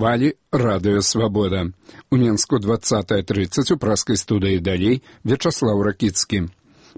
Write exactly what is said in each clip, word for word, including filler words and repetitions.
хвалі радыё «Свабода». У Менску двадцатая тридцать у праскай студыі далей Вячаслаў Ракіцкі.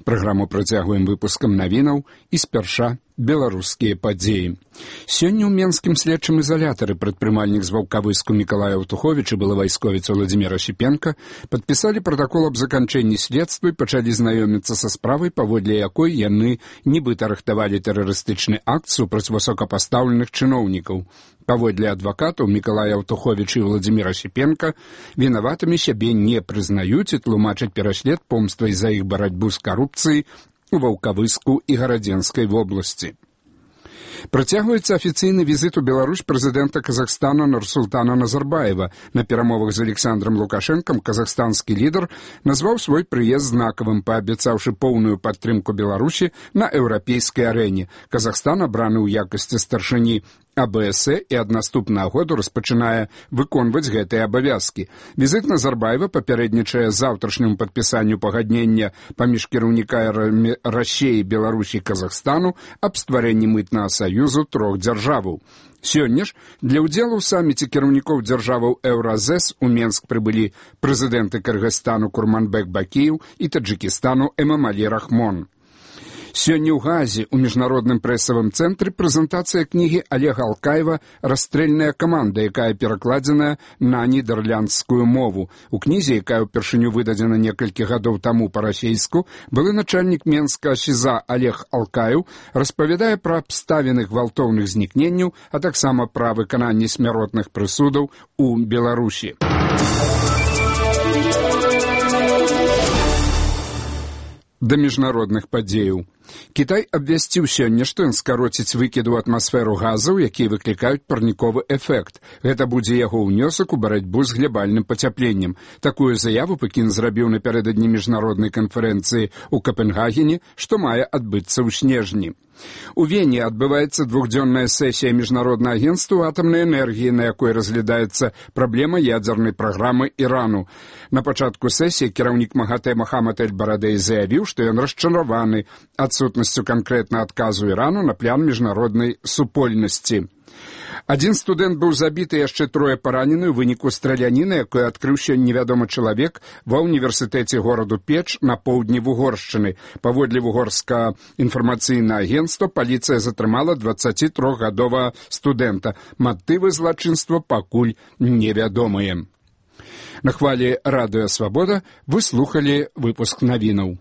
Праграму працягваем выпускам навінаў і спярша беларускія падзеі. Сёння ў менскім следчым изолятары прадпрымальнік з Ваўкавыску Мікалай Аўтуховіч і былы вайсковец Уладзіміра Шипенко падпісалі пратакол аб заканчэнні следства і пачалі знаёміцца са справай, паводле якой яны нібыта рыхтавалі тэрарыстычны акт супраць высокапастаўленых чыноўнікаў. Паводле адвакатаў Мікалай Аўтуховіч і Уладзіміра Шипенко вінаватымі сябе не прызнаюць і тлумачаць пераслед помствай за іх барацьбу з карупцыяй у Ваўкавыску і Гарадзенскай вобласці. Працягваецца афіцыйны візіт у Беларусь прэзідэнта Казахстана Нурсултана Назарбаева. На перамовах з Александром Лукашэнкам казахстанскі лідар назваў свой прыезд знакавым, паабяцаўшы поўную падтрымку Беларусі на еўрапейскай арэне. Казахстан, абраны ў якасці старшыні А Б С і ад наступнага году распачынае выконваць гэтыя абавязкі. Візіт Назарбаева папярэднічае заўтрашняму падпісанню пагаднення паміж кіраўнікамі Расіі, Беларусі і Казахстану аб стварэнні мытнага саюзу трох дзяржаваў. Сёння ж для ўдзелу ў саміце кіраўнікоў дзяржаваў Еўразэс у Менск прыбылі прэзідэнты Кыргызстану Курманбек Бакіеў і Таджыкістану Эмомалі Рахмон. Сёння ў Газе ў міжнародным прэсавым цэнтры прэзентацыя кнігі Олега Алкаева «Расстрэльная каманда», якая перакладзеная на нідерландскую мову. У кнізе, якая ўпершыню выдадзена некалькі гадоў таму па-расейску, былы начальнік Менска СІЗА Олег Алкаев распавядае пра абставіны гвалтоўных знікненняў, а таксама пра выкананне смяротных прысудаў у Беларусі. Да міжнародных падзеяў. Кітай абвясціў сёння, што ён скароціць выкіды ў атмасферу газаў, якія выклікаюць парніковы эфект. Гэта будзе яго ўнёсак у барацьбу з глябальным пацяпленнем. Такую заяву Пекін зрабіў напярэдадні міжнароднай канферэнцыі ў Капенгагене, што мае адбыцца ў снежні. У Вене адбываецца двухдзённая сесія міжнароднага агенцтва атамнай энергіі, на якой разглядаецца праблема ядзернай праграмы Ірану. На пачатку сесіі кіраўнік МАГАТЭ Мохаммад эль-Барадэй заявіў, што ён расчараваны адсутнасцю канкрэтна адказу Ірану на план міжнароднай супольнасці. Адзін студэнт быў забіты, яшчэ трое паранены ў выніку страляніны, якую адкрыў сёння невядомы чалавек ва ўніверсітэце гораду Печ на поўдні Вугоршчыны. Паводле вугорскага інфармацыйнага агенцтва паліцыя затрымала дваццацітрохгадовага студэнта. Матывы злачынства пакуль невядомыя. На хвалі радыё «Свабода» вы слухалі выпуск навінаў.